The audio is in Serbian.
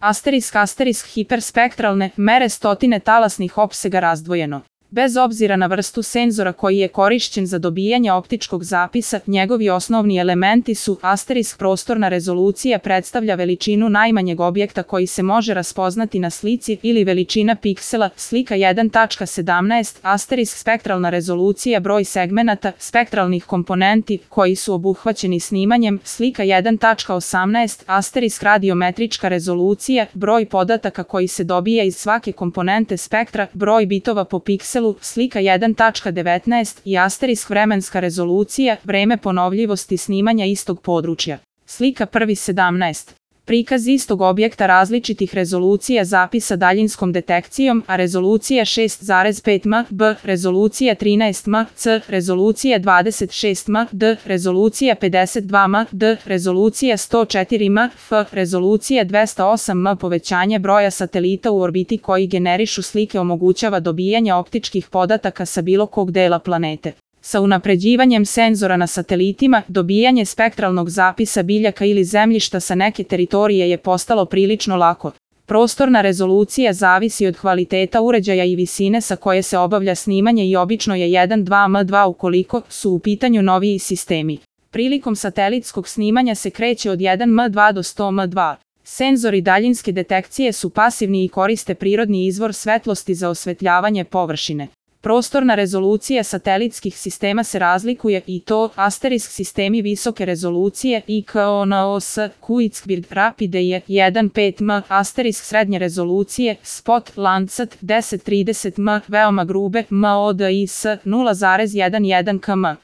Asterisk hiperspektralne mere stotine talasnih opsega razdvojeno. Bez obzira na vrstu senzora koji je korišćen za dobijanje optičkog zapisa, njegovi osnovni elementi su prostorna rezolucija predstavlja veličinu najmanjeg objekta koji se može raspoznati na slici ili veličina piksela, slika 1.17, spektralna rezolucija broj segmenata, spektralnih komponenti koji su obuhvaćeni snimanjem, slika 1.18, radiometrička rezolucija, broj podataka koji se dobija iz svake komponente spektra, broj bitova po pikselu, slika 1.19 i vremenska rezolucija, vreme ponovljivosti snimanja istog područja. Slika 1.17. Prikaz istog objekta različitih rezolucija zapisa daljinskom detekcijom, a rezolucija 6.5 m, b, rezolucija 13 m, c, rezolucija 26 m, d, rezolucija 52 m, d, rezolucija 104 m, f, rezolucija 208 m. Povećanje broja satelita u orbiti koji generišu slike omogućava dobijanje optičkih podataka sa bilo kog dela planete. Sa unapređivanjem senzora na satelitima, dobijanje spektralnog zapisa biljaka ili zemljišta sa neke teritorije je postalo prilično lako. Prostorna rezolucija zavisi od kvaliteta uređaja i visine sa koje se obavlja snimanje i obično je 1.2 m2 ukoliko su u pitanju noviji sistemi. Prilikom satelitskog snimanja se kreće od 1 m2 do 100 m2. Senzori daljinske detekcije su pasivni i koriste prirodni izvor svetlosti za osvetljavanje površine. Prostorna rezolucija satelitskih sistema se razlikuje i to sistemi visoke rezolucije IKONOS, Kuitzbird Rapide je 1.5 m, srednje rezolucije, Spot Landsat 1030 m, veoma grube MODIS 0.11 km.